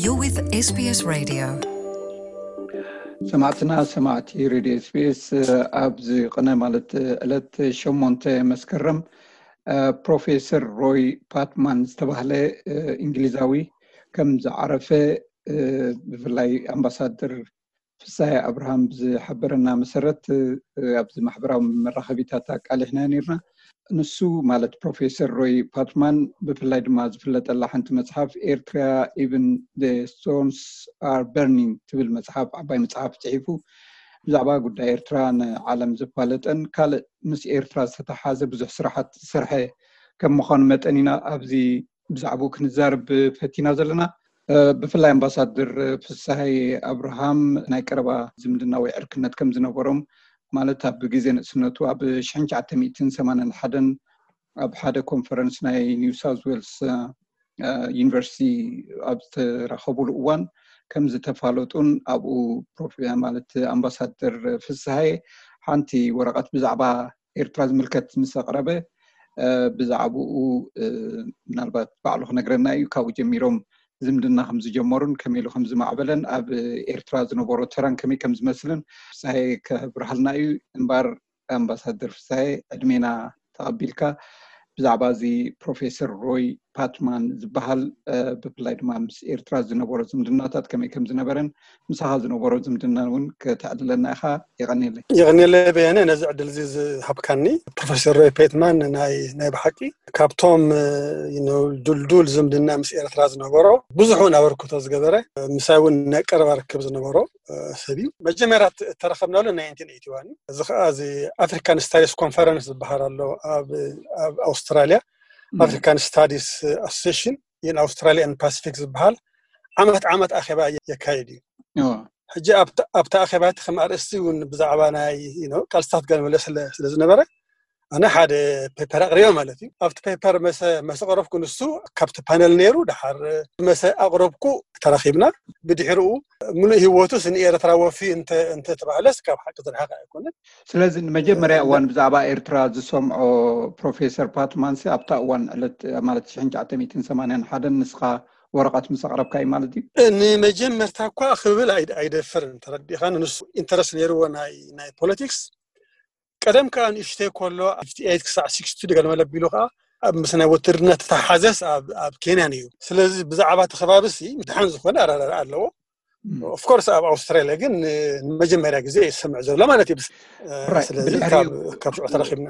You're with SBS Radio. ሰማዕትና ሰማዕቲ ሬድዮ ኤስቢኤስ፣ ኣብዚ ቅነ ማለት ዕለት ሸሞንተ መስከረም ፕሮፌሰር ሮይ ፓትማን ዝተባህለ እንግሊዛዊ ከም ዝዓረፈ ብፍላይ ኣምባሳደር ፍሳሐ ኣብርሃም ብዝሓበረና መሰረት ኣብዚ ማሕበራዊ መራኸቢታት ኣቃሊሕና ነርና። ንሱ ማለት ፕሮፌሰር ሮይ ፓትማን ብፍላይ ድማ ዝፍለጠላ ሓንቲ መፅሓፍ ኤርትራ ኢቭን ስቶንስ ኣር በርኒንግ ትብል መፅሓፍ፣ ዓባይ መፅሓፍ ፅሒፉ ብዛዕባ ጉዳይ ኤርትራ ንዓለም ዘፋለጠን ካልእ ምስ ኤርትራ ዝተተሓዘ ብዙሕ ስራሓት ዝሰርሐ ከም ምዃኑ መጠን ኢና ኣብዚ ብዛዕባኡ ክንዛረብ ፈቲና ዘለና። ብፍላይ ኣምባሳደር ፍሳሐ ኣብርሃም ናይ ቀረባ ዝምድና ወይ ዕርክነት ከም ዝነበሮም፣ ማለት ኣብ ግዜ ንእስነቱ ኣብ ሽሕን ትሽዓተ ሚእትን ሰማንያን ሓደን ኣብ ሓደ ኮንፈረንስ ናይ ኒው ሳውዝ ዌልስ ዩኒቨርሲቲ ኣብ ዝተራኸቡሉ እዋን ከም ዝተፋለጡን ኣብኡ ማለት ኣምባሳደር ፍሳሐ ሓንቲ ወረቐት ብዛዕባ ኤርትራ ዝምልከት ምስ ኣቕረበ ብዛዕባኡ ምናልባት ባዕሉ ክነግረና እዩ። ካብኡ ጀሚሮም ዝምድና ከም ዝጀመሩን ከመይ ኢሉ ከም ዝማዕበለን ኣብ ኤርትራ ዝነበሮ ተራን ከመይ ከም ዝመስልን ፍሳሐ ከብርሃልና እዩ። እምባር ኣምባሳደር ፍሳሐ ዕድሜና ተቐቢልካ ብዛዕባ እዚ ፕሮፌሰር ሮይ ፓትማን ዝበሃል ብፍላይ ድማ ምስ ኤርትራ ዝነበሮ ዝምድናታት ከመይ ከም ዝነበረን ምሳኻ ዝነበሮ ዝምድና እውን ከተዕልለና ኢኻ። የቐንየለይ። የቐንየለይ በየነ ነዚ ዕድል እዚ ዝሃብካኒ። ፕሮፌሰር ሮይ ፓትማን ናይ ናይ ብሓቂ ካብቶም ድልዱል ዝምድና ምስ ኤርትራ ዝነበሮ ብዙሕ እውን ኣበርክቶ ዝገበረ ምሳይ እውን ናይ ቀረባ ርክብ ዝነበሮ ሰብ እዩ። መጀመርያ እተረኸብናሉ ናይ ናይንቲን ኤይቲ ዋን እዩ። እዚ ከዓ እዚ ኣፍሪካን ስታዲስ ኮንፈረንስ ዝበሃል ኣሎ ኣብ ኣውስትራሊያ። ኣፍሪካን ስታዲስ ኣሶሴሽን ኢን ኣውስትራሊያን ፓሲፊክ ዝበሃል ዓመት ዓመት ኣኼባ የካይድ እዩ። ሕጂ ኣብቲ ኣኼባ እቲ ከም ኣርእስቲ እውን ብዛዕባ ናይ ቃልስታት ገለመለ ስለ ዝነበረ ኣነ ሓደ ፔፐር ኣቕሪበ ማለት እዩ። ኣብቲ ፔፐር መሰ ኣቕረብኩ፣ ንሱ ካብቲ ፓነል ነይሩ። ድሓር መሰ ኣቕረብኩ፣ ተራኺብና። ብድሕሪኡ ምሉእ ህይወቱስ ንኤርትራ ወፊ እንተተባህለስ ካብ ሓቂ ዝረሓቐ ኣይኮነን። ስለዚ ንመጀመርያ እዋን ብዛዕባ ኤርትራ ዝሰምዖ ፕሮፌሰር ፓትማንሲ ኣብታ እዋን ዕለት ማለት ሽሕን ትሽዓተ ሚእትን ሰማንያን ሓደን ንስኻ ወረቐት ምስ ኣቕረብካ እዩ ማለት እዩ። ንመጀመርታ እኳ ክብል ኣይደፍርን፣ ተረዲእካ። ንሱ ኢንተረስት ነይርዎ ናይ ፖለቲክስ። ቀደም ከዓ ንእሽተይ ከሎ ፊፍቲ ኤይት ክሳዕ ሲክስቲ ገለ መለ ኣቢሉ ከዓ ኣብ ምስ ናይ ውትድርና ተተሓዘስ ኣብ ኬንያ ነይሩ። ስለዚ ብዛዕባ እቲ ከባቢ ሲ ምድሓን ዝኾነ ኣረዳድኣ ኣለዎ። ኦፍኮርስ ኣብ ኣውስትራሊያ ግን ንመጀመርያ ግዜ ይሰምዕ ዘሎ ማለት እዩ። ስለዚ ካብ ሽዑ ተረኪብና።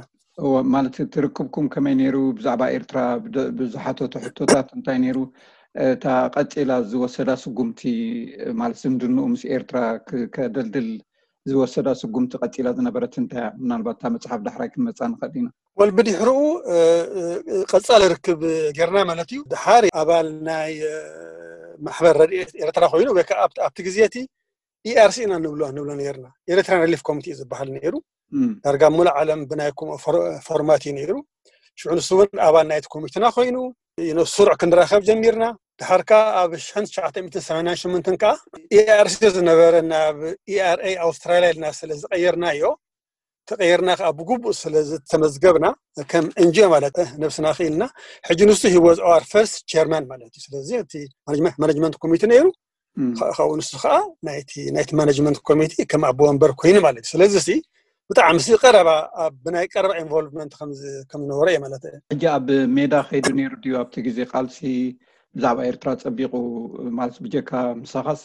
ማለት እቲ ርክብኩም ከመይ ነይሩ? ብዛዕባ ኤርትራ ዝሓተቶ ሕቶታት እንታይ ነይሩ? እታ ቀፂላ ዝወሰዳ ስጉምቲ ማለት ዝምድንኡ ምስ ኤርትራ ከደልድል ዝወሰዳ ስጉምቲ ቀፂላ ዝነበረት እንታይ እያ? ምናልባት እታ መፅሓፍ ዳሕራይ ክንመፃ ንኽእል ኢና። ወል ብድሕርኡ ቀፃሊ ርክብ ጌርና ማለት እዩ። ድሓር ኣባል ናይ ማሕበር ረድኤት ኤርትራ ኮይኑ ወይ ከዓ ኣብቲ ግዜ እቲ ኢኣርሲ ኢና ንብሎ ንብሎ ነርና። ኤርትራን ሪሊፍ ኮሚቴ ዝበሃል ነይሩ። ዳርጋ ሙሉእ ዓለም ብናይ ፎርማት እዩ ነይሩ። ሽዑ ንሱ እውን ኣባል ናይቲ ኮሚቴና ኮይኑ ስሩዕ ክንራኸብ ጀሚርና። ድሓር ከዓ ኣብ ሽሕን ትሽዓተ ሚእትን ሰማንያን ሸሞንተን ከዓ ኢኣርሲ ዝነበረ ናብ ኢኣርኤ ኣውስትራሊያ ኢልና ስለ ዝቀየርናዮ፣ ተቀየርና ከዓ ብግቡእ ስለ ዝተመዝገብና ከም ኤንጂኦ ማለት ነብስና ክኢልና። ሕጂ ንሱ ሂወዝ ኦር ፈርስት ቸርማን ማለት እዩ። ስለዚ እቲ ማኔጅመንት ኮሚቴ ነይሩ። ካብኡ ንሱ ከዓ ናይቲ ማኔጅመንት ኮሚቴ ከም ኣቦ ወንበር ኮይኑ ማለት እዩ። ስለዚ ሲ ብጣዕሚ ሲ ቀረባ ብናይ ቀረባ ኢንቮልቭመንት ከም ዝነበረ እየ ማለት እየ። ሕጂ ኣብ ሜዳ ከይዱ ነይሩ ድዩ ኣብቲ ግዜ ቃልሲ ብዛዕባ ኤርትራ ጸቢቑ ማለት ብጀካ ምሳኻስ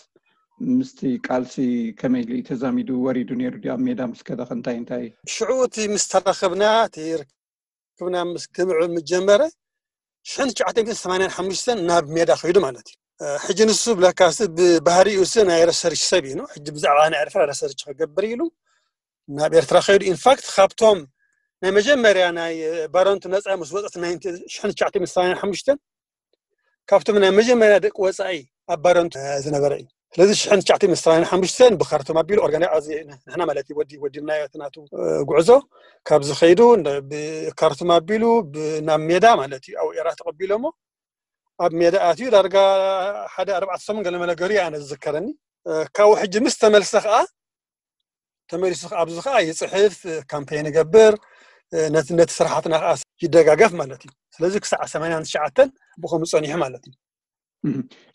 ምስቲ ቃልሲ ከመይ ኢሉ እዩ ተዛሚዱ ወሪዱ ነይሩ ድዩ ኣብ ሜዳ ምስ ከደ እንታይ እንታይ? ሽዑ እቲ ምስ ተራኸብና እቲ ርክብና ምስ ክምዕብል ምስ ጀመረ ሽሕን ትሽዓተ ሚእትን ሰማንያን ሓሙሽተን ናብ ሜዳ ከይዱ ማለት እዩ። ሕጂ ንሱ ብለካሲ ብባህሪኡ ሲ ናይ ረሰርች ሰብ እዩ። ሕጂ ብዛዕባ ናይ ኤርትራ ረሰርች ክገብር ኢሉ ናብ ኤርትራ ከይዱ። ኢንፋክት ካብቶም ናይ መጀመርያ ናይ ባረንቱ ነፃ ምስ ወፀት ሽሕን ትሽዓተ ሚእትን ሰማንያን ሓሙሽተን ካብቶም ናይ መጀመርያ ደቂ ወፃኢ ኣብ ባረንቱ ዝነበረ እዩ። ስለዚ ሽሕን ትሽዓተ ሚእትን ሰማንያን ሓሙሽተን ብካርቱም ኣቢሉ ኦርጋናይዝ ንሕና ማለት እዩ ወዲብናዮ እቲ ናቱ ጉዕዞ። ካብዚ ከይዱ ብካርቱም ኣቢሉ ናብ ሜዳ ማለት እዩ ኣብ ኤራ ተቐቢሎሞ ኣብ ሜዳ ኣትዩ ዳርጋ ሓደ ኣርባዕተ ሰሙን ገለ መለ ገሩ ኣነ ዝዝከረኒ። ካብኡ ሕጂ ምስ ተመልሰ ከዓ ተመሊሱ ኣብዚ ከዓ ይፅሕፍ፣ ካምፔን ይገብር፣ ነቲ ነቲ ስራሓትና ከዓ ይደጋገፍ ማለት እዩ። ስለዚ ክሳዕ ሰማንያን ትሽዓተን ብኸምኡ ፀኒሑ ማለት እዩ።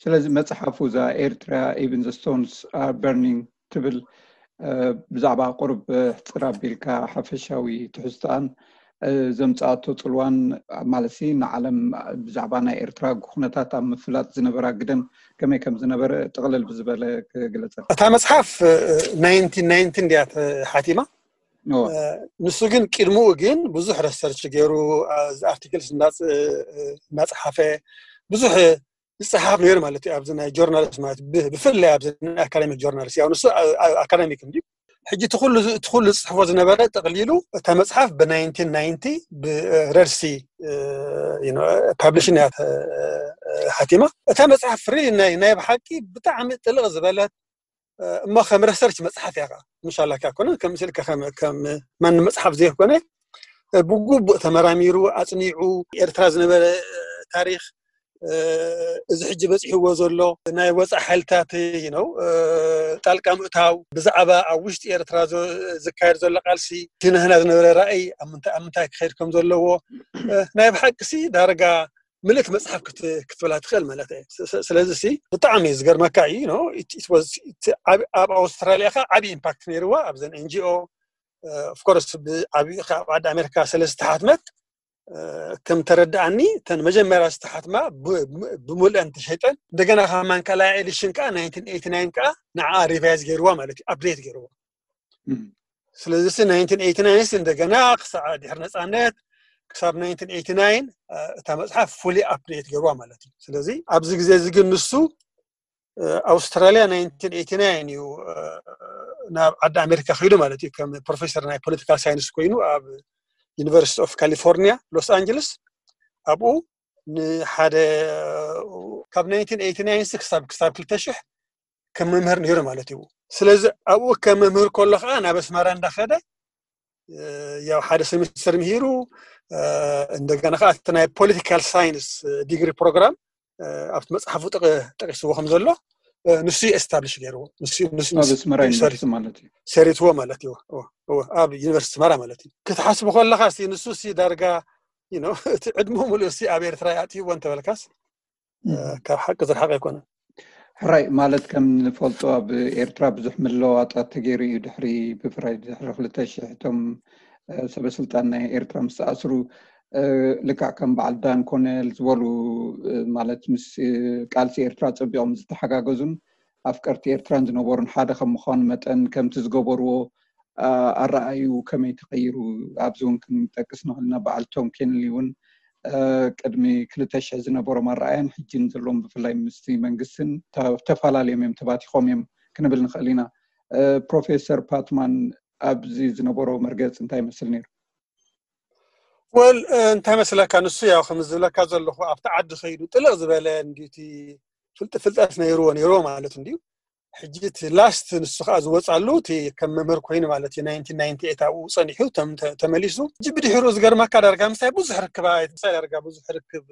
ስለዚ መፅሓፉ እዛ ኤርትራ even the stones are burning ትብል ብዛዕባ ቁርብ ሕፅር ኣቢልካ ሓፈሻዊ ትሕዝቶኣን ዘምፃኣቶ ፅልዋን ማለት ንዓለም ብዛዕባ ናይ ኤርትራ ኩነታት ኣብ ምፍላጥ ዝነበራ ግደን ከመይ ከም ዝነበረ ጥቕልል ብዝበለ ክግለፀ። እታ መፅሓፍ ናይንቲን ናይንቲን እንድያ ሓቲማ። ንሱ ግን ቅድምኡ ግን ብዙሕ ረሰርች ገይሩ ኣርቲክልስ እናፀሓፈ ብዙሕ ዝፀሓፍ ነይሩ ማለት እዩ። ኣብዚ ናይ ጆርናሊስት ማለት ብፍላይ ኣብዚ ናይ ኣካዳሚክ ጆርናሊስት ያው ንሱ ኣካዳሚክ እንዲ ሕጂ ትኩሉ ዝፅሕፎ ዝነበረ ጠቅሊሉ እታ መፅሓፍ ብ1990 ብረድሲ ፓብሊሽን እያ ሓቲማ። እታ መፅሓፍ ፍሪ ናይ ብሓቂ ብጣዕሚ ጥልቕ ዝበለት እሞ ከም ረሰርች መፅሓፍ እያ። ምሻላካ ኮነ ከም ስልከ ከም ማን መፅሓፍ ዘይኮነ ብግቡእ ተመራሚሩ ኣፅኒዑ ኤርትራ ዝነበረ ታሪክ እዚ ሕጂ በፂሕዎ ዘሎ ናይ ወፃእ ሓይልታት ነው ጣልቃ ምእታው ብዛዕባ ኣብ ውሽጢ ኤርትራ ዝካየድ ዘሎ ቃልሲ እቲ ንህና ዝነበረ ራእይ ኣብ ምንታይ ክኸይድ ከም ዘለዎ ናይ ብሓቂ ሲ ዳርጋ ምልእቲ መፅሓፍ ክትብላ ትኽእል ማለት እየ። ስለዚ ሲ ብጣዕሚ ዝገርመካ እዩ። ኣብ ኣውስትራሊያ ከ ዓብዪ ኢምፓክት ነይርዋ ኣብዘን ኤንጂኦ ኦፍኮርስ ብዓብዪ ዓዲ ኣሜሪካ ስለ ዝተሓትመት ከም ተረዳኣኒ እተን መጀመርያ ዝተሓትማ ብሙልአን ተሸይጠን እንደገና ካብ ማንካላያ ኤዲሽን ከዓ ናይንቲን ኤይቲ ናይን ከዓ ንዓ ሪቫይዝ ገይርዋ ማለት እዩ፣ ኣፕዴት ገይርዋ። ስለዚ ሲ ናይንቲን ኤይቲ ናይን ሲ እንደገና ክሳዕ ድሕሪ ነፃነት ክሳብ ናይንቲን ኤይቲ ናይን እታ መፅሓፍ ፉሊ ኣፕዴት ገይርዋ ማለት እዩ። ስለዚ ኣብዚ ግዜ እዚ ግን ንሱ ኣውስትራሊያ ናይንቲን ኤይቲ ናይን እዩ ናብ ዓዲ ኣሜሪካ ከይዱ ማለት እዩ። ከም ፕሮፌሰር ናይ ፖለቲካል ሳይንስ ኮይኑ ኣብ ዩኒቨርሲቲ ኦፍ ካሊፎርኒያ ሎስ ኣንጀለስ ኣብኡ ንሓደ ካብ ናይንቲን ኤይቲ ናይን ክሳብ ክሳብ ክልተ ሽሕ ከም መምህር ነይሩ ማለት እዩ። ስለዚ ኣብኡ ከም መምህር ከሎ ከዓ ናብ ኣስመራ እንዳኸደ ያው ሓደ ሴሚስተር ምሂሩ እንደገና ከዓ እቲ ናይ ፖለቲካል ሳይንስ ዲግሪ ፕሮግራም ኣብቲ መፅሓፉ ጠቂስዎ ከም ዘሎ ንሱ ኤስታብሊሽ ገይርዎ። ኣብ ኣስመራ ዩኒቨርሲቲ ማለት እዩ። ሰሪትዎ ማለት እዩ። ኣብ ዩኒቨርሲቲ ኣስመራ ማለት እዩ። ክትሓስቡ ከለካ ንሱ ሲ ዳርጋ እቲ ዕድሙ ሙሉእ ሲ ኣብ ኤርትራ ኣጥይዎ እንተበልካስ ካብ ሓቂ ዝረሓቀ ኣይኮነን። ሕራይ ማለት ከም ንፈልጦ ኣብ ኤርትራ ብዙሕ ምልውዋጣት ተገይሩ እዩ። ድሕሪ ብፍላይ ድሕሪ ክልተ ሽሕ እቶም ሰበስልጣን ናይ ኤርትራ ምስ ተኣስሩ ልክዕ ከም በዓል ዳን ኮነል ዝበሉ ማለት ምስ ቃልሲ ኤርትራ ጸቢቖም ዝተሓጋገዙን ኣፍቀርቲ ኤርትራን ዝነበሩን ሓደ ከም ምዃኑ መጠን ከምቲ ዝገበርዎ ኣረኣዩ ከመይ ተቐይሩ ኣብዚ እውን ክንጠቅስ ንኽእል ኢና። በዓል ቶም ኬንሊ እውን ቅድሚ ክልተ ሽሕ ዝነበሮም ኣረኣያን ሕጂን ዘለዎም ብፍላይ ምስቲ መንግስትን ተፈላለዮም እዮም፣ ተባቲኾም እዮም ክንብል ንኽእል ኢና። ፕሮፌሰር ፓትማን ኣብዚ ዝነበሮ መርገፂ እንታይ ይመስል ነይሩ? ወል እንታይ መስለካ፣ ንሱ ያው ከም ዝብለካ ዘለኹ ኣብቲ ዓዲ ከይዱ ጥልቕ ዝበለ እንዲቲ ፍልጥ ፍልጠት ነይርዎ ነይርዎ ማለት እንዲዩ። ሕጂ እቲ ላስት ንሱ ከዓ ዝወፃሉ እቲ ከም መምህር ኮይኑ ማለት እዩ ናይንቲን ናይንቲ ኤይት ኣብኡ ፀኒሑ ተመሊሱ። ሕጂ ብድሕሩ ዝገርመካ ዳርጋ ምሳይ ብዙሕ ርክብ ምሳይ ዳርጋ ብዙሕ ርክብ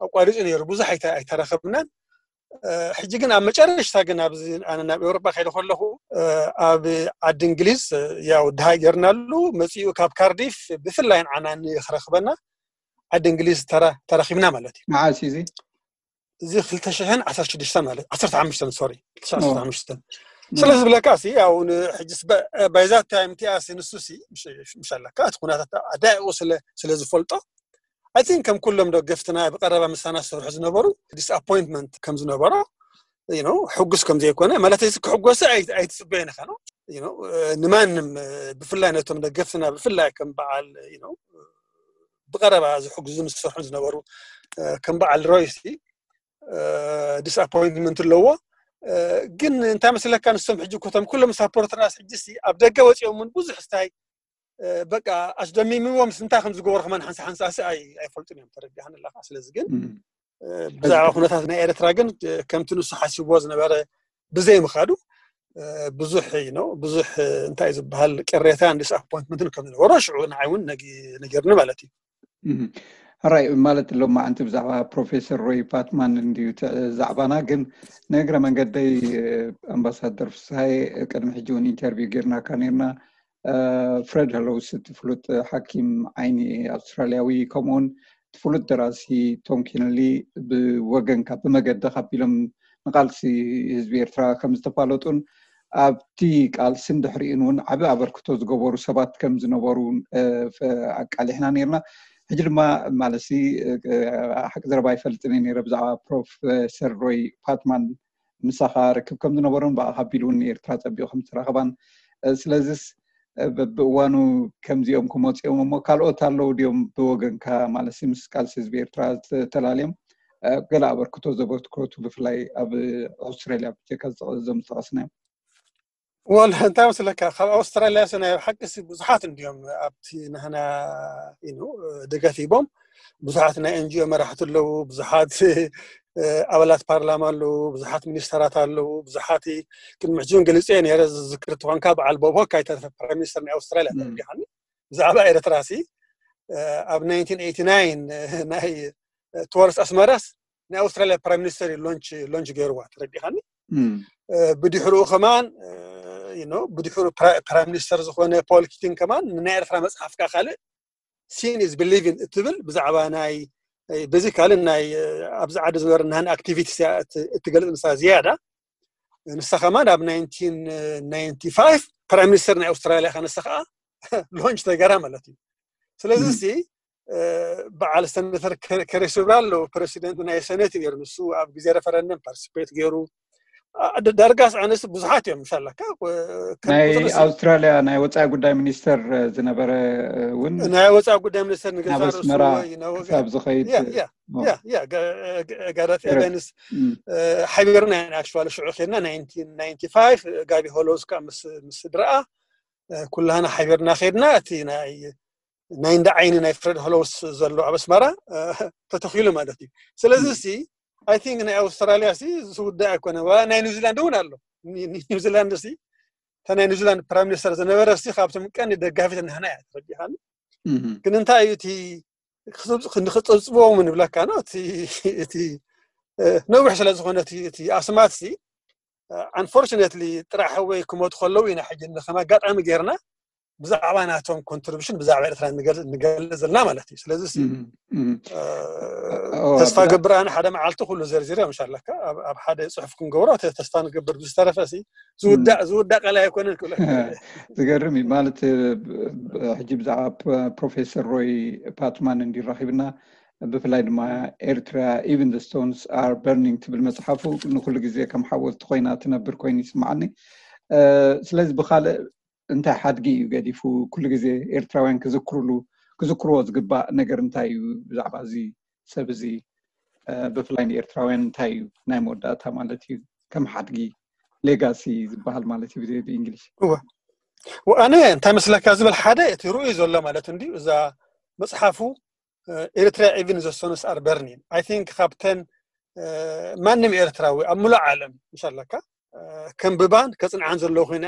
ኣቋሪፁ ነይሩ። ብዙሕ ኣይተረኸብናን። ሕጂ ግን ኣብ መጨረሽታ ግን ኣብዚ ኣነ ናብ ኤውሮጳ ከይደ ከለኹ ኣብ ዓዲ እንግሊዝ ያው ድሃይ ገርናሉ መፂኡ ካብ ካርዲፍ ብፍላይ ንዓና ንክረኽበና ዓዲ እንግሊዝ ተራኺብና ማለት እዩ። መዓስ እዩ እዚ? እዚ ክልተ ሽሕን ዓሰርተ ሽዱሽተን ማለት ዓሰርተ ሓሙሽተን ሶሪ ዓሰርተ ሓሙሽተን ስለ ዝብለካ ሲ ያው ሕጂ ባይዛ ታይም ቲኣሲ ንሱ ሲ ምሽ ኣለካ እቲ ኩነታት ኣዳይኡ ስለ ዝፈልጦ ኣይ ቲንክ ከም ኩሎም ደገፍትና ብቀረባ ምሳና ዝሰርሑ ዝነበሩ ዲስኣፖይንትመንት ከም ዝነበሮ ሕጉስ ከም ዘይኮነ ማለት እዚ ክሕጎሰ ኣይትፅበየን ኢኻ ነው። ንማንም ብፍላይ ነቶም ደገፍትና ብፍላይ ከም በዓል ብቀረባ ዝሕግዙ ዝሰርሑ ዝነበሩ ከም በዓል ሮይሲ ዲስኣፖይንትመንት ኣለዎ። ግን እንታይ መስለካ ንሶም ሕጂ ኮቶም ኩሎም ሳፖርተርናስ ሕጂ ኣብ ደገ ወፂኦም እውን ብዙሕ ስታይ በቃ ኣስደሚምዎም እንታይ ከም ዝገበሩ ከማን ሓንሳ ሓንሳ ሲ ኣይፈልጡን እዮም። ተረዲኣኒ ኣለካ። ስለዚ ግን ብዛዕባ ኩነታት ናይ ኤርትራ ግን ከምቲ ንሱ ሓሲብዎ ዝነበረ ብዘይ ምኻዱ ብዙሕ ነው ብዙሕ እንታይ ዝበሃል ቅሬታን ዲስኣፖይንትመንትን ከም ዝነበሮ ሽዑ ንዓይ እውን ነጊርኒ ማለት እዩ። ሕራይ ማለት ሎማዓንቲ ብዛዕባ ፕሮፌሰር ሮይ ፓትማን እንድዩ ዛዕባና። ግን ንእግረ መንገደይ ኣምባሳደር ፍስሃየ ቅድሚ ሕጂ እውን ኢንተርቪው ጌርናካ ነርና። ፍሬድ ሀሎውስ እቲ ፍሉጥ ሓኪም ዓይኒ ኣውስትራልያዊ ከምኡውን ፍሉጥ ደራሲ ቶም ኪነሊ ብወገንካ ብመገድካ ኣቢሎም ንቃልሲ ህዝቢ ኤርትራ ከም ዝተፋለጡን ኣብቲ ቃልስን ድሕሪኡን እውን ዓቢ ኣበርክቶ ዝገበሩ ሰባት ከም ዝነበሩ ኣቃሊሕና ነርና። ሕጂ ድማ ማለትሲ ሓቂ ዘረባ ኣይፈልጥን እየ ነረ ብዛዕባ ፕሮፌሰር ሮይ ፓትማን ምሳኻ ርክብ ከም ዝነበሮን ብኣኻ ኣቢሉ እውን ንኤርትራ ጸቢቑ ከም ዝተራኸባን ስለዚስ ብእዋኑ ከምዚኦም ክመፅኦም እሞ ካልኦት ኣለዉ ድዮም ብወገንካ ማለት ምስ ቃልሲ ህዝቢ ኤርትራ ዝተላልዮም ገለ ኣበርክቶ ዘበርክቱ ብፍላይ ኣብ ኣውስትራልያ ብጀካ እዞም ዝጠቐስናዮም ወል እንታይ መስለካ ካብ ኣውስትራልያ ሲ ናይ ሓቂ ሲ ብዙሓት እንዲዮም ኣብቲ ናህና ኢኑ ደገፍ ሂቦም ብዙሓት ናይ ኤንጂኦ መራሕቲ ኣለዉ ብዙሓት ኣባላት ፓርላማ ኣለዉ ብዙሓት ሚኒስተራት ኣለዉ ብዙሓት ቅድሚ ሕጂ እውን ገሊፀ ነረ ዝዝክር ትኾንካ በዓል ቦብ ሆክ ኣይተረፈ ፕራይም ሚኒስተር ናይ ኣውስትራልያ ተረዲኻኒ ብዛዕባ ኤርትራ ሲ ኣብ ናይ ቶወርስ ኣስመራስ ናይ ኣውስትራልያ ፕራይም ሚኒስተር ሎንች ሎንች ገይርዋ ተረዲኻኒ ብድሕርኡ ከማን ብድሕሩ ፕራይም ሚኒስተር ዝኾነ ፖል ኪቲን ከማን ናይ ኤርትራ መፅሓፍ ካ ካልእ seeing is believing እትብል ብዛዕባ ናይ በዚ ካልእ ናይ ኣብዚ ዓዲ ዝበርናህን ኣክቲቪቲስ እትገልፅ ንሳ ዝያዳ ንሳ ከማን ኣብ ናይንቲን ናይንቲ ፋይቭ ፕራይም ሚኒስተር ናይ ኣውስትራልያ ከ ንሳ ከዓ ሎንች ተገራ ማለት እዩ ስለዚ ሲ በዓል ሰነተር ከሬስ ብራሎ ፕረሲደንት ናይ ሰነት ነሩ ንሱ ኣብ ግዜ ረፈረንደም ፓርቲስፔት ገይሩ ዳርጋስ ኣነስ ብዙሓት እዮም ምሻለካ ናይ ኣውስትራልያ ናይ ወፃኢ ጉዳይ ሚኒስተር ዝነበረ እውን ናይ ወፃኢ ጉዳይ ሚኒስተር ንገዛ ኣስመራ ክሳብ ዝኸይድ ጋዳት ኤቨንስ ሓቢርና ኢና ኣክቹዋሊ ሽዑ ከድና ናይንቲን ናይንቲ ፋይቭ ጋቢ ሆሎስ ከዓ ምስ ስድረኣ ኩላህና ሓቢርና ከድና እቲ ናይ ናይ እንዳ ዓይኒ ናይ ፍረድ ሆሎስ ዘሎ ኣብ ኣስመራ ተተኺሉ ማለት እዩ ስለዚ ሲ ኣይ ቲንክ ናይ ኣውስትራልያ ሲ ዝውዳእ ኣይኮነ ናይ ኒውዚላንድ እውን ኣሎ ኒውዚላንድ ሲ እታ ናይ ኒውዚላንድ ፕራይም ሚኒስተር ዝነበረ ሲ ካብቶም ቀንዲ ደጋፊት ናህና እያ ተረዲኻኒ ግን እንታይ እዩ እቲ ንክፀብፅቦም ንብለካ ነው እቲ ነዊሕ ስለ ዝኾነ እቲ ኣስማት ሲ ኣንፎርችነትሊ ጥራሕ ወይ ክሞቱ ከለዉ ኢና ሕጂ ከም ኣጋጣሚ ጌርና ብዛዕባ ናቶም ኮንትሪቢሽን ብዛዕባ ኤርትራ ንገልፅ ዘለና ማለት እዩ ስለዚ ተስፋ ገብር ኣነ ሓደ መዓልቲ ኩሉ ዘርዚረ ምሻለካ ኣብ ሓደ ፅሑፍ ክንገብሮ ተስፋ ንገብር ብዝተረፈ ዝውዳእ ዝውዳእ ቃል ኣይኮነን ክብለ ዝገርም እዩ ማለት ሕጂ ብዛዕባ ፕሮፌሰር ሮይ ፓትማን እንዲራኺብና ብፍላይ ድማ ኤርትራ even the stones are burning ትብል መፅሓፉ ንኩሉ ግዜ ከም ሓወልቲ ኮይና ትነብር ኮይኑ ይስማዓኒ ስለዚ ብካልእ እንታይ ሓድጊ እዩ ገዲፉ ኩሉ ግዜ ኤርትራውያን ክዝክሩሉ ክዝክርዎ ዝግባእ ነገር እንታይ እዩ ብዛዕባ እዚ ሰብ እዚ ብፍላይ ንኤርትራውያን እንታይ እዩ ናይ መወዳእታ ማለት እዩ ከም ሓድጊ ሌጋሲ ዝበሃል ማለት እዩ ብእንግሊሽ እወ ኣነ እንታይ መስለካ ዝብል ሓደ እቲ ርእዩ ዘሎ ማለት እንዲ እዛ መፅሓፉ ኤርትራ even the stones are burning I think ካብተን ማንም ኤርትራዊ ኣብ ምሉእ ዓለም ምሻለካ ከንብባን ከፅንዓን ዘለዎ ኮይነ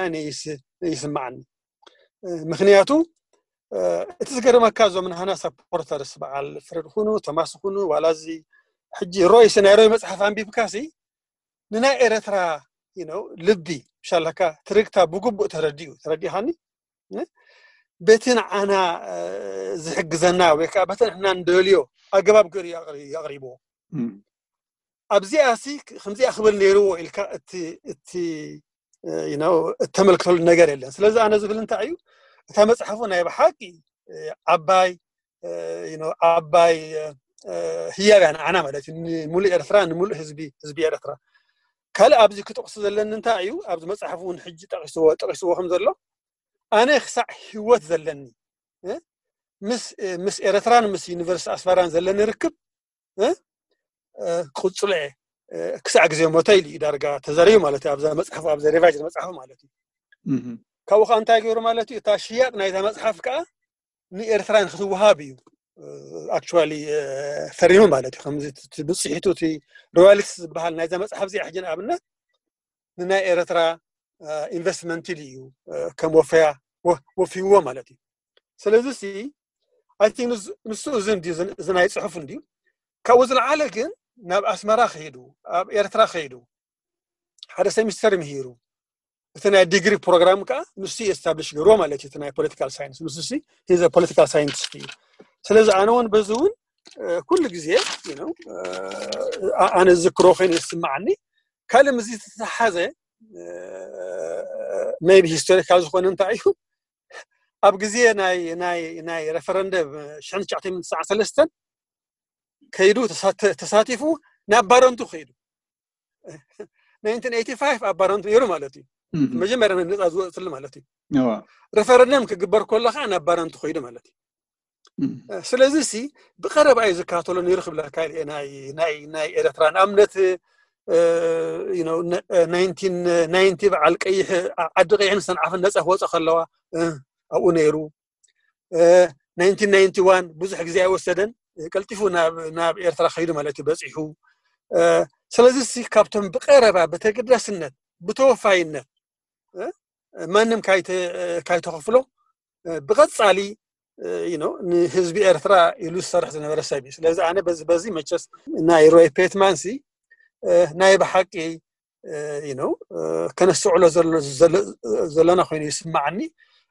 ይስማዓኒ ምክንያቱ እቲ ዝገርመካ እዞም ንሃና ሰፖርተርስ በዓል ፍረድ ኩኑ ቶማስ ኩኑ ዋላ እዚ ሕጂ ሮይስ ናይ ሮይ መፅሓፍ ኣንቢብካ ሲ ንናይ ኤረትራ ልቢ ሻለካ ትርግታ ብግቡእ ተረዲኡ ተረዲኻኒ በቲ ንዓና ዝሕግዘና ወይ ከዓ በቲ ንሕና እንደልዮ ኣገባብ ገይሩ የቕሪብዎ ኣብዚኣ ሲ ከምዚኣ ክብል ነይርዎ ኢልካ እቲ እተመልክተሉ ነገር የለን ስለዚ ኣነ ዝብል እንታይ እዩ እታ መፅሓፉ ናይ ብሓቂ ዓባይ ዓባይ ህያብ እያ ንዓና ማለት እዩ ንምሉእ ኤርትራ ንምሉእ ህዝቢ ህዝቢ ኤርትራ ካልእ ኣብዚ ክጠቕሱ ዘለኒ እንታይ እዩ ኣብዚ መፅሓፍ እውን ሕጂ ጠቂስዎ ጠቂስዎ ከም ዘሎ ኣነ ክሳዕ ህይወት ዘለኒ ምስ ምስ ኤርትራን ምስ ዩኒቨርሲቲ ኣስመራን ዘለኒ ርክብ ክቕፅሎ እየ ክሳዕ ግዜ ሞተ ኢሉ እዩ ዳርጋ ተዘሪቡ ማለት እዩ ኣብዛ መፅሓፍ ኣብዛ ሪቫይዝ መፅሓፍ ማለት እዩ ካብኡ ከዓ እንታይ ገይሩ ማለት እዩ እታ ሽያጥ ናይዛ መፅሓፍ ከዓ ንኤርትራ ንክትወሃብ እዩ ኣክቹዋሊ ፈሪሙ ማለት እዩ ከምዚ ብፅሒቱ እቲ ሮያልቲስ ዝበሃል ናይዛ መፅሓፍ እዚኣ ሕጂ ንኣብነት ንናይ ኤርትራ ኢንቨስትመንት ኢሉ እዩ ከም ወፈያ ወፊዎ ማለት እዩ ስለዚ ሲ ኣይ ቲንክ ንሱ እዚ እንዲ እዚ ናይ ፅሑፍ እንዲ ካብኡ ዝለዓለ ግን ናብ ኣስመራ ከይዱ ኣብ ኤርትራ ከይዱ ሓደ ሴሚስተር ምሂሩ እቲ ናይ ዲግሪ ፕሮግራም ከዓ ንሱ ኤስታብሊሽ ገይርዎ ማለት እዩ ናይ ፖለቲካል ሳይንስ ንሱ ሂዘ ፖለቲካል ሳይንቲስት እዩ ስለዚ ኣነ እውን በዚ እውን ኩሉ ግዜ ኣነ ዝክሮ ኮይኑ ይስማዓኒ። ካልእ ምስ ዝተሓዘ maybe historical ዝኾነ እንታይ እዩ፣ ኣብ ግዜ ናይ ናይ ናይ referendum ሽሕን ትሽዓተ ሚእትን ትስዓን ሰለስተን ከይዱ ተሳቲፉ ናብ ባረንቱ ከይዱ። nineteen eighty five ኣብ ባረንቱ ነይሩ ማለት እዩ። መጀመርያ ነፃ ዝወፅሉ ማለት እዩ። Referendum ክግበር ከሎ ከዓ ናብ ባረንቱ ከይዱ ማለት እዩ። ስለዚ ሲ ብቀረባ እዩ ዝከታተሎ ነይሩ ክብለካ ኢለ ናይ ናይ ናይ ኤርትራ ንኣብነት nineteen ninety በዓል ቀይሕ ዓዲ ቀይሕን ሰንዓፈን ነፃ ክወፀ ከለዋ ኣብኡ ነይሩ። nineteen ninety one ብዙሕ ግዜ ኣይወሰደን፣ ቀልጢፉ ናብ ኤርትራ ከይዱ ማለት እዩ በፂሑ። ስለዚ ሲ ካብቶም ብቀረባ ብተገዳስነት ብተወፋይነት ማንም ካይተኸፍሎ ብቐፃሊ ንህዝቢ ኤርትራ ኢሉ ዝሰርሕ ዝነበረ ሰብ እዩ። ስለዚ ኣነ በዚ በዚ መቸስ ናይ ሮይ ፔትማን ሲ ናይ ብሓቂ ነው ከነስተውዕሎ ዘለና ኮይኑ ይስማዓኒ።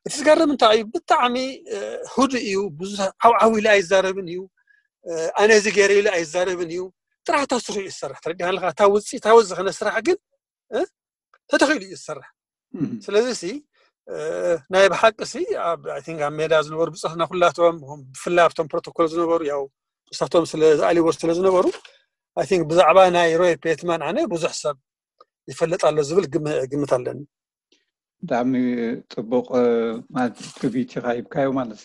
እቲ ዝገርም እንታይ እዩ፣ ብጣዕሚ ህዱእ እዩ። ብዙ ዓውዓው ኢሉ ኣይዛረብን እዩ። ኣነ እዚ ገይረ ኢሉ ኣይዛረብን እዩ። ጥራሕ እታ ስርሑ እዩ ዝሰርሕ። ተረዲኻ ኣለካ? እታ ውፅኢታዊ ዝኾነ ስራሕ ግን ተተኺሉ እዩ ዝሰርሕ። ስለዚ ሲ ናይ ብሓቂ ሲ ኣብ ሜዳ ዝነበሩ ብፅሕና ኩላቶም ብፍላይ ኣብቶም ፕሮቶኮል ዝነበሩ ያው እሳቶም ስለ ዝኣልዎ ስለ ዝነበሩ ብዛዕባ ናይ ሮይ ፔትማን ኣነ ብዙሕ ሰብ ይፈልጥ ኣሎ ዝብል ግምት ኣለኒ። ብጣዕሚ ፅቡቕ ማለት ትሪቢዩት ኢኻ ሂብካዮ ማለት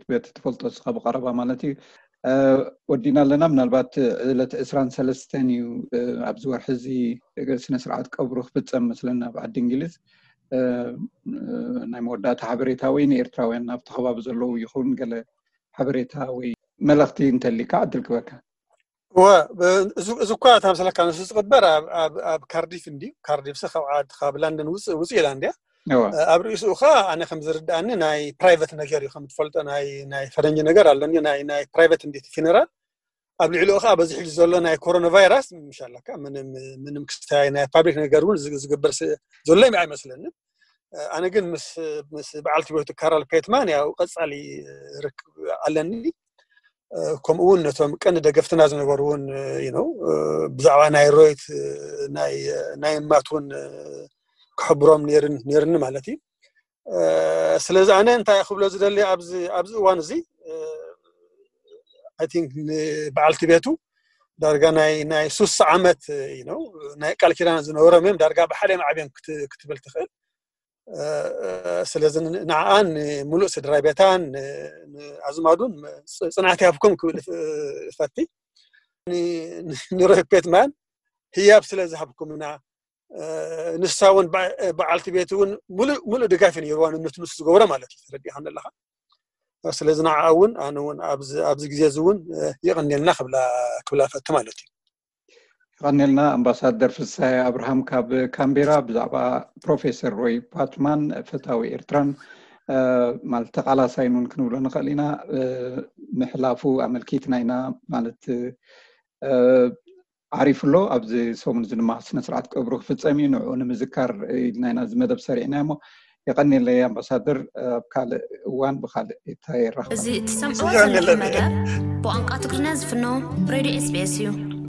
በቲ ትፈልጦ እስኻ ብቐረባ ማለት እዩ። ወዲና ኣለና። ምናልባት ዕለት ዕስራን ሰለስተን እዩ ኣብዚ ወርሒ እዚ ስነ ስርዓት ቀብሩ ክፍፀም መስለና ኣብ ዓዲ እንግሊዝ። ናይ መወዳእታ ሓበሬታ ወይ ንኤርትራውያን ኣብቲ ከባቢ ዘለዉ ይኹን ገለ ሓበሬታ ወይ መልእኽቲ እንተሊካ ዕድል ክበካ። እወ፣ እዚ እኳ እታ ምስለካ ንሱ ዝቕበር ኣብ ካርዲፍ እንድዩ። ካርዲፍ ሲ ካብ ዓዲ ካብ ላንደን ውፅእ ውፅእ ኢላ እንድያ። ኣብ ርእስኡ ኸ ኣነ ከም ዝርድኣኒ ናይ ፕራይቨት ነገር እዩ። ከም ትፈልጦ ናይ ናይ ፈረንጂ ነገር ኣሎ እንድዩ፣ ናይ ናይ ፕራይቨት እንድዩ እቲ ፊነራል። ኣብ ልዕሊኡ ኸ በዚ ሕጂ ዘሎ ናይ ኮሮና ቫይረስ ምሻላካ ምንም ምንም ክስታይ ናይ ፓብሊክ ነገር እውን ዝግበር ዘሎ ኣይመስለንን። ኣነ ግን ምስ ምስ በዓልቲ ቤቱ ካራል ፔትማን ያው ቀጻሊ ርክብ ኣለኒ። ከምኡ እውን ነቶም ቀንዲ ደገፍትና ዝነበሩ እውን ነው ብዛዕባ ናይ ሮይት ናይ ናይ ማት እውን ክሕብሮም ነይርኒ ማለት እዩ። ስለዚ ኣነ እንታይ ክብሎ ዝደሊ ኣብዚ ኣብዚ እዋን እዚ I think ንበዓልቲ ቤቱ ዳርጋ ናይ ናይ ሱሳ ዓመት ነው ናይ ቃል ኪዳን ዝነበሮም እዮም። ዳርጋ ብሓደ ማዕብዮም ክትብል ትኽእል። ስለዚ ንዓኣን ንምሉእ ስድራ ቤታን ንኣዝማዱን ፅንዓት ይሃብኩም ክብል እፈቲ። ንሮይ ፔትማን ህያብ ስለ ዝሃብኩምና ንሳ እውን በዓልቲ ቤት እውን ሙሉእ ድጋፍ ነይርዋ ንነቲ ንሱ ዝገብሮ ማለት እዩ። ተረዲእካ ኣለካ። ስለዚ ንዓ እውን ኣነ እውን ኣብዚ ግዜ እዚ እውን የቐንየልና ክብላ ክብላ ፈቲ ማለት እዩ። የቐንየልና ኣምባሳደር ፍሳሐ ኣብርሃም ካብ ካምቤራ ብዛዕባ ፕሮፌሰር ሮይ ፓትማን ፈታዊ ኤርትራን ማለት ተቓላሳይን እውን ክንብሎ ንኽእል ኢና ምሕላፉ ኣመልኪትና ኢና ማለት ዓሪፉ ኣሎ። ኣብዚ ሰሙን እዚ ድማ ስነ ስርዓት ቀብሩ ክፍፀም እዩ። ንዕኡ ንምዝካር ኢልና ኢና እዚ መደብ ሰሪዕና እሞ የቐንየለይ ኣምባሳደር። ኣብ ካልእ እዋን ብካልእ ይራኸብ። እዚ እትሰምዕዎ ዘለኹም መደብ ብቋንቋ ትግርኛ ዝፍኖ ሬድዮ ኤስቢኤስ እዩ።